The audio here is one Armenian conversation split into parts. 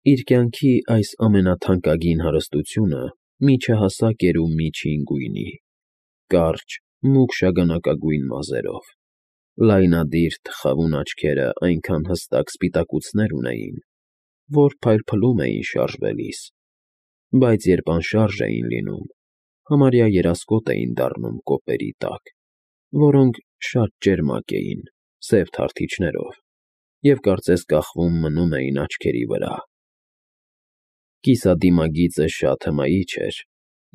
Իր կյանքի այս ամենաթանկագին հարստությունը միջահասակ էր ու միջին գույնի, կարճ, մուգ շագանակագույն մազերով, լայնադիր թխավուն աչքերը այնքան հստակ սպիտակուցներ ունեին, որ փայլփլում էին շարժվելիս, բայց երբ անշարժ էին լինում, համարյա երասկոտ էին դառնում կոպերի տակ, որոնք շատ ճերմակ էին, սև թարթիչներով, և կարծես կախվում մնում էին աչքերի վրա։ Կիսադիմագիծը շատ հմայիչ էր,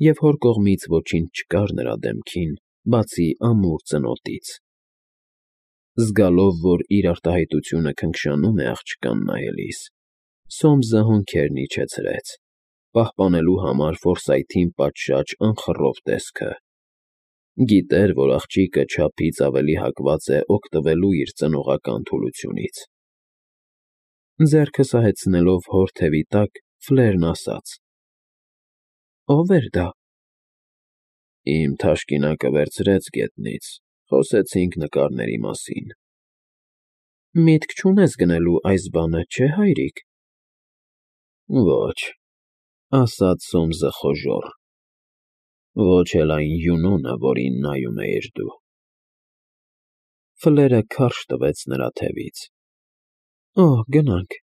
և հոր կողմից ոչինչ չկար նրա դեմքին, բացի ամուր ծնոտից։ Զգալով, որ իր արտահայտությունը քնքշանում է աղջկան նայելիս, Սոմսը հոնքերն իջեցրեց, պահպանելու համար Ֆորսայթին պատշաճ անխռով տեսքը։ Գիտեր, որ աղջիկը չափից ավելի հակված է օգտվելու իր ծնողական թուլությունից։ Ձեռքը սահեցնելով հոր թևի տակ, Ֆլերն ասաց. «Ո՞վ էր դա»։ Իմ թաշկինակը վերցրեց գետնից, խոսեցինք նկարների մասին։ Միտք չունես գնելու այս բանը, չէ՞, հայրիկ։ Ոչ, ասաց Սոմսը խոժոռ, ոչ էլ այն յունոնը, որին նայում էիր դու։ Ֆլերը քարշ տվեց նրա թևից։ Օ, գնանք,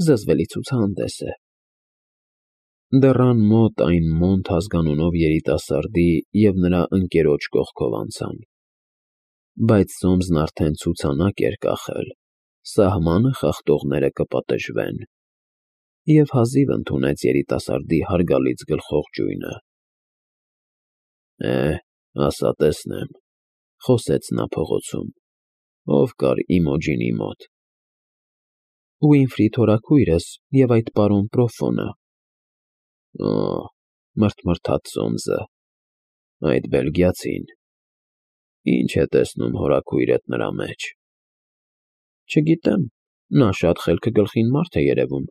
զզվելի ցուցահանդես է։ Դռան մոտ այն Մոնտ ազգանունով երիտասարդի և նրա ընկերոջ կողքով անցան։ Բայց Սոմսն արդեն ցուցանակ էր կախել, սահմանը խախտողները կպատժվեն, և հազիվ ընդունեց երիտասարդի հարգալից գլխող ճյույնը։ Ասա տեսնեմ, խոսեց նա փողոցում, ով կար Իմոջինի մոտ։ Ուինֆրի թորաքույրս և այդ պարոն Պրոֆոնը։ Օ, մռթմռթաց Սոմսը, այդ բելգիացին, ի՞նչ է տեսնում հորաքույրդ նրա մեջ։ Չգիտեմ, նա շատ խելքը գլխին մարդ է երևում,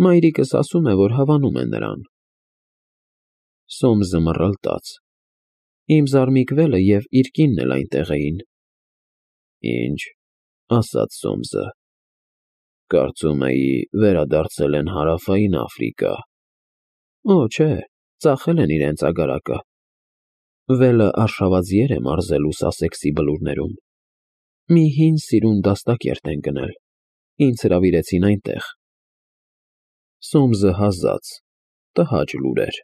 մայրիկս ասում է, որ հավանում է նրան։ Սոմսը մռլտաց։ Իմ զարմիկ վելը և իր կինն էլ այնտեղ էին։ Ինչ, ասաց Սոմսը, կարծում էի վերադարձել են Հարավային Աֆրիկա։ Օ, չէ, ծախել են իրենց ագարակը։ Վելը արշավազիեր է մարզելու Սասեքսի բլուրներում։ Մի հին սիրուն դաստակերտ են գնել, ինձ հրավիրեցին այնտեղ։ Սոմսը հազաց, տհաճ լուր էր։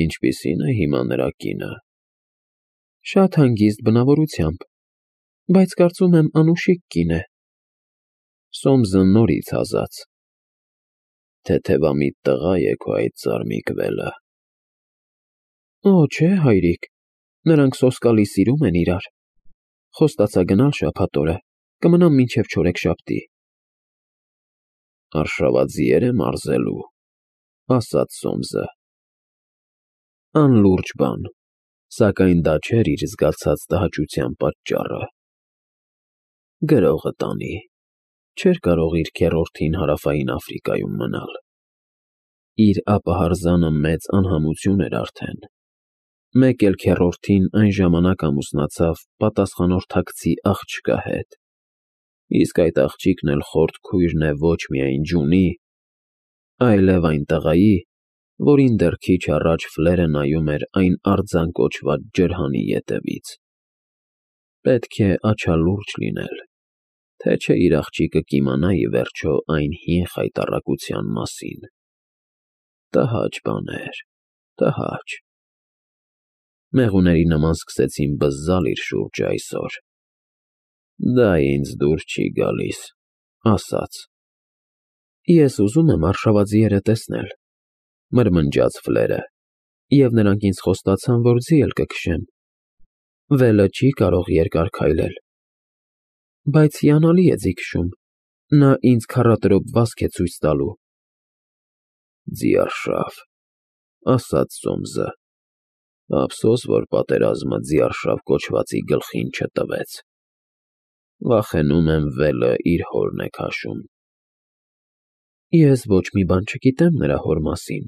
Ինչպիսի՞ն է հիմա նրա կինը։ Շատ հանգիստ բնավորությամբ, բայց կարծում եմ անուշիկ կին է։ Սոմսը նորից հազաց։ Թեթևամիտ տղա է քո այդ զարմիկ վելը։ Օ, չէ, հայրիկ, նրանք սոսկալի սիրում են իրար։ Խոստացա գնալ շաբաթ օրը, կմնամ մինչև չորեքշաբթի։ Արշավազիեր է մարզելու, ասաց Սոմսը։ Անլուրջ բան, սակայն դա չէր իր զգացած տհաճության պատճառը։ Գրողը տանի, չէր կարող իր քեռորդին Հարավային Աֆրիկայում մնալ։ Իր ապահարզանը մեծ անհամություն էր արդեն։ Մեկ էլ քեռորդին այն ժամանակ ամուսնացավ պատասխանորդակցի աղջկա հետ, իսկ այդ աղջիկն էլ խորթ քույրն է ոչ միայն ջունի, այլև այն տղայի, որին դեռ քիչ առաջ Ֆլերը նայում էր այն արձան կոչված ջրհանի ետևից։ Պետք է աչալուրջ լինել, թե չէ իր աղջիկը կիմանա ի վերջո այն հին խայտառակության մասին։ Տհաճ բան էր, տհաճ։ Մեղուների նման սկսեցին բզզալ իր շուրջը այսօր։ Դա ինձ դուր չի գալիս, ասաց։ Ես ուզում եմ արշավազիերը տեսնել, մրմնջաց Ֆլերը, և նրանք ինձ խոստացան, որ ձի էլ կքշեն։ Վելը չի կարող երկար քայլել։ Բայց հիանալի է ձի քշում, նա ինձ քառատրոպ վազք է ցույց տալու։ Ձիարշավ, ասաց Սոմսը, ափսոս, որ պատերազմը ձիարշավ կոչվածի գլխին չտվեց։ Վախենում եմ վելը իր հորն է քաշում։ Ես ոչ մի բան չգիտեմ նրա հոր մասին։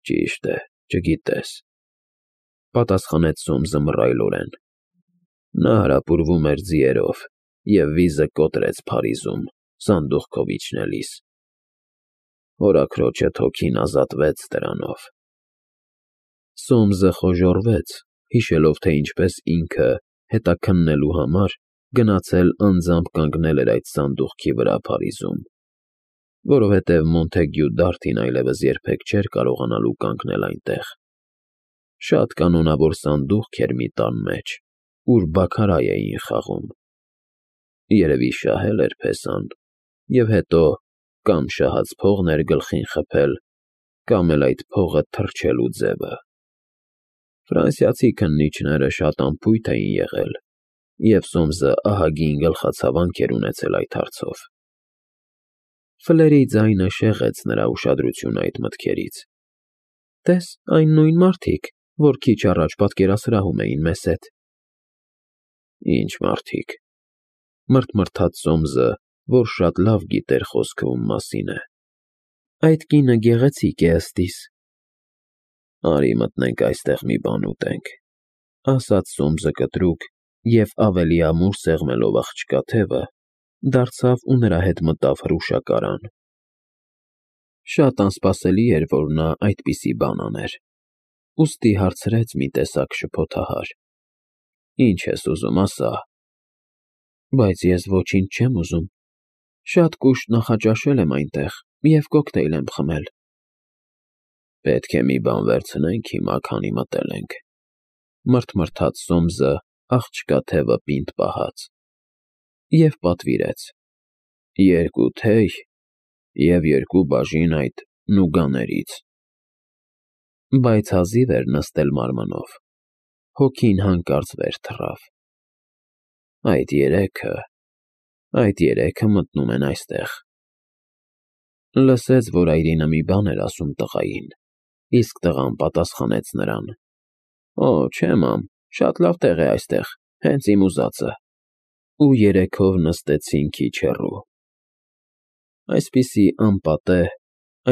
Ճիշտ է, չգիտես, պատասխանեց Սոմսը մռայլորեն։ Նա հարապուրվում էր ձիերով և վիզը կոտրեց Փարիզում, սանդուղքով իջնելիս։ Հորաքրոջը թոքին ազատվեց դրանով։ Սոմսը խոժոռվեց, հիշելով, թե ինչպես ինքը, հետաքննելու համար, գնացել անձամբ կանգնել էր այդ սանդուղքի վրա Փարիզում, որովհետև Մոնթեգյու Դարդին այլևս երբեք չէր կարողանալու կանգնել այնտեղ։ Շատ կանոնավոր սանդուղք էր մի տան մեջ, ուր բաքարայ էին խաղում։ Երևի շահել էր փեսան, և հետո կամ շահած փողն էր գլխին խփել, կամ էլ այդ փողը թռչելու ձևը։ Ֆրանսիացի քննիչները շատ անփույթ էին եղել, և Սոմսը ահագին գլխացավանք էր ունեցել այդ հարցով։ Ֆլերի ձայնը շեղեց նրա ուշադրությունը այդ մտքերից։ «Տես, այն նույն մարդիկ, որ քիչ առաջ պատկերասրահում էին մեզ հետ»։ «Ինչ մարդիկ», մռթմռթաց Սոմսը, որ շատ լավ գիտեր խոսքը ում մասին է։ «Այդ կինը գեղեցիկ է ըստ իս»։ «Արի մտնենք այստեղ մի բան ուտենք», ասաց Սոմսը կտրուկ և, ավելի ամուր սեղմելով աղջկա թևը, դարձավ ու նրա հետ մտավ հրուշակարան։ Շատ անսպասելի էր, որ նա այդպիսի բան աներ, ուստի հարցրեց մի տեսակ շփոթահար. «Ինչ ես ուզում, ասա»։ «Բայց ես ոչինչ չեմ ուզում, շատ կուշտ նախաճաշել եմ այնտեղ և կոկտեյլ եմ խմել»։ «Պետք է մի բան վերցնենք հիմա, քանի մտել ենք», մռթմռթաց Սոմսը, աղջկա թևը պինդ պահած, և պատվիրեց. «2 թեյ և 2 բաժին այդ նուգաներից»։ Բայց հազիվ էր նստել մարմնով, հոգին հանկարծ վեր թռավ։ Այդ երեքը մտնում են այստեղ։ Լսեց, որ այրինը մի բան էր ասում տղային, իսկ տղան պատասխանեց նրան. «Օ, չէ, մամ, շատ լավ տեղ է այստեղ, հենց իմ ուզածը»։ Ու երեքով նստեցին քիչ հեռու։ Այսպիսի անպատեհ,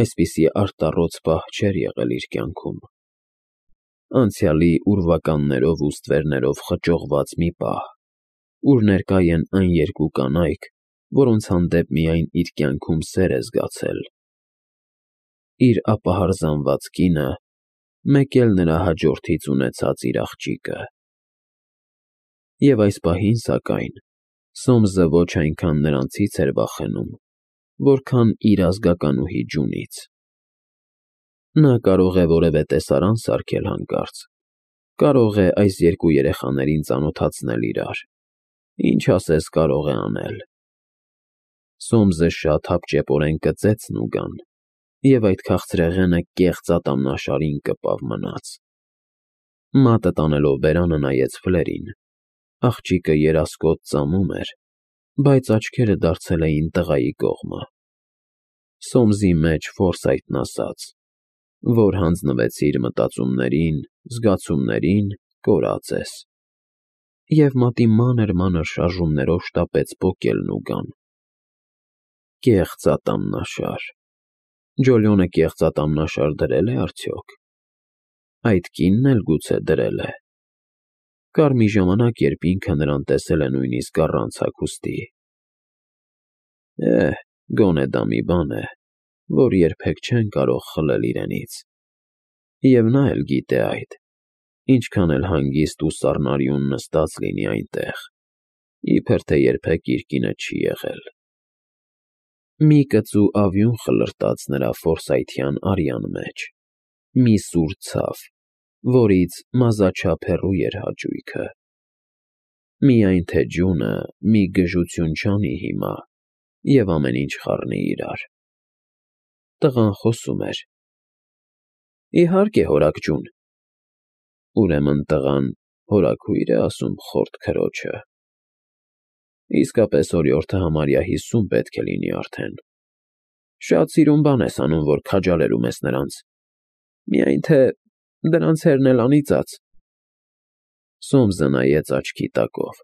այսպիսի արտառոց պահ չէր եղել իր կյանքում։ Անցյալի ուրվականներով ու ստվերներով խճողված մի պահ, ուր ներկա են այն 2 կանայք, որոնց հանդեպ միայն իր կյանքում սեր է զգացել։ Իր ապահարզանված կինը, մեկ էլ նրա հաջորդից ունեցած իր աղջիկը։ Եվ այս պահին, սակայն, Սոմսը ոչ այնքան նրանցից էր վախենում, որքան իր ազգականուհի Ջունից։ Նա կարող է որևէ տեսարան սարքել հանկարծ, կարող է այս 2 երեխաներին ծանոթացնել իրար, ինչ ասես կարող է անել։ Սոմսը շատ հապճեպորեն կծեց նուգան, և այդ քաղցրեղենը կեղծ ատամնաշարին կպավ մնաց։ Մատը տանելով բերանը նայեց Ֆլերին։ Աղջիկը երասկոտ ծամում էր, բայց աչքերը դարձել էին տղայի կողմը։ Սոմսի մեջ Ֆորսայթն ասաց, որ հանձնվեցիր մտածումներին, զգացումներին, կորած ես։ Եվ մատի մանր շարժումներով շտապեց պոկել նուգան։ Կեղծ ատամնաշար։ Ջոլյոնը կեղծ ատամնաշար դրել է արդյոք։ Այդ կինն էլ գուցե դրել է։ Կար մի ժամանակ, երբ ինքը նրան տեսել է նույնիսկ առանց հագուստի։ Գոնե դա մի բան է, որ երբեք չեն կարող խլել իրենից։ Եվ նա էլ գիտե այդ, ինչքան էլ հանգիստ ու սառնարյուն նստած լինի այնտեղ, իբր թե երբեք իր կինը չի եղել։ Մի կծու ավյուն խլրտաց նրա ֆորսայթյան արյան մեջ, մի սուր ցավ, որից մազաչափ հեռու էր հաճույքը։ Միայն թե ջունը մի գժություն չանի հիմա, և ամեն ինչ խառնի իրար։ Տղան խոսում էր. «Իհարկե, հորիկ ջուն»։ Ուրեմն տղան հորաքույր է ասում խորտ քրոջը։ Իսկապես օրիորդը համարյա 50 պետք է լինի արդեն։ Շատ սիրուն բան ես անում, որ քաջալերում ես նրանց։ Միայն թե դրանց հերն էլ անիծած։ Սոմսը նայեց աչքի տակով։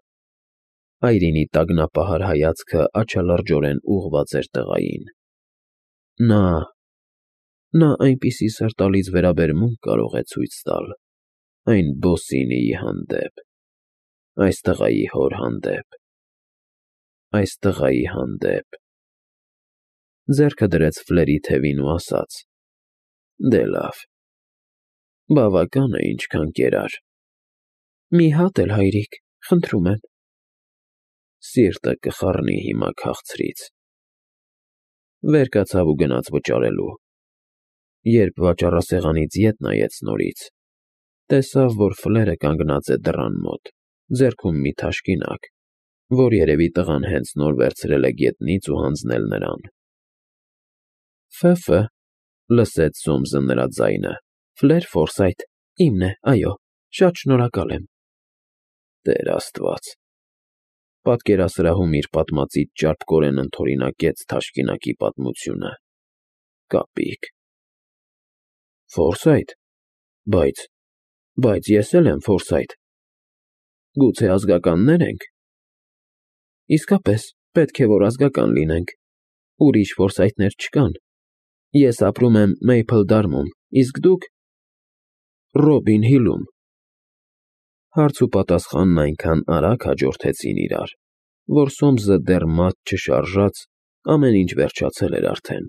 Այրինի տագնապահար հայացքը աչալրջորեն ուղղված էր տղային։ Նա այնպիսի սրտալից վերաբերմունք կարող է ցույց տալ այն Բոսինիի հանդեպ, այս տղայի հոր հանդեպ, այս տղայի հանդեպ։ ձեռքը դրեց Ֆլերի թևին ու ասաց. «Դե լավ, բավական է ինչքան կերար»։ «Մի հատ էլ, հայրիկ, խնդրում եմ»։ Սիրտը կխառնի հիմա քաղցրից։ Վեր կացավ ու գնաց վճարելու։ Երբ վաճառասեղանից ետ նայեց նորից, տեսավ, որ Ֆլերը կանգնած է դռան մոտ, ձեռքում մի թաշկինակ, որ երևի տղան հենց նոր վերցրել է գետնից ու հանձնել նրան։ «Ֆը», լսեց Սոմսը նրա ձայնը։ «Ֆլեր Ֆորսայթ, իմն է, այո, շատ շնորհակալ եմ»։ Տեր Աստված։ Պատկերասրահում իր պատմածից ճարպկորեն ընդօրինակեց թաշկինակի պատմությունը։ Կապիկ։ «Ֆորսայթ, բայց ես էլ եմ Ֆորսայթ։ Գուցե ազգականնե՞ր ենք»։ «Իսկապես, պետք է որ ազգական լինենք։ Ուրիշ Ֆորսայթներ չկան։ Ես ապրում եմ Մեյփլդարմում, իսկ դուք»։ «Ռոբին Հիլում»։ Հարց ու պատասխանն այնքան արագ հաջորդեցին իրար, որ Սոմսը դեռ մատ չշարժած ամեն ինչ վերջացել էր արդեն։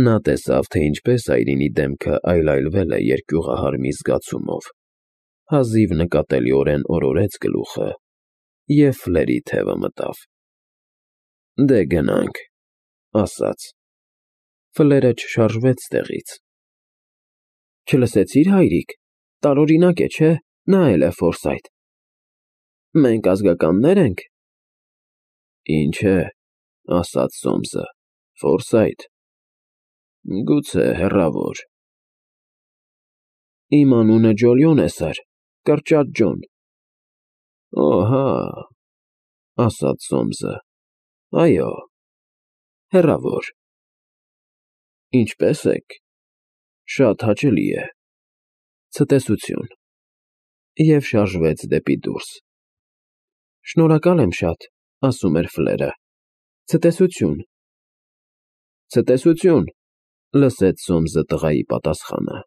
Նա տեսավ, թե ինչպես այրինի դեմքը այլայլվել է երկյուղահար մի զգացումով, հազիվ նկատելիորեն օրորեց գլուխը և Ֆլերի թևը մտավ։ «Դե գնանք», ասաց։ Ֆլերը չշարժվեց տեղից։ «Չլսեցի՞ր, հայրիկ, տարօրինակ է, չէ՞, նա էլ է Ֆորսայթ։ Մենք ազգականնե՞ր ենք»։ «Ինչ է», ասաց Սոմսը, «Ֆորսայթ։ Գուցե հեռավոր»։ «Իմ անունը Ջոլիոն է, սըր, կրճատ Ջոն»։ «Օ, հա», ասաց Սոմսը, «այո, հեռավոր։ Ինչպե՞ս եք։ Շատ հաճելի է։ Ցտեսություն»։ Եվ շարժվեց դեպի դուրս։ «Շնորհակալ եմ շատ», ասում էր Ֆլերը։ «Ցտեսություն»։ «Ցտեսություն», լսեց Սոմսը տղայի պատասխանը։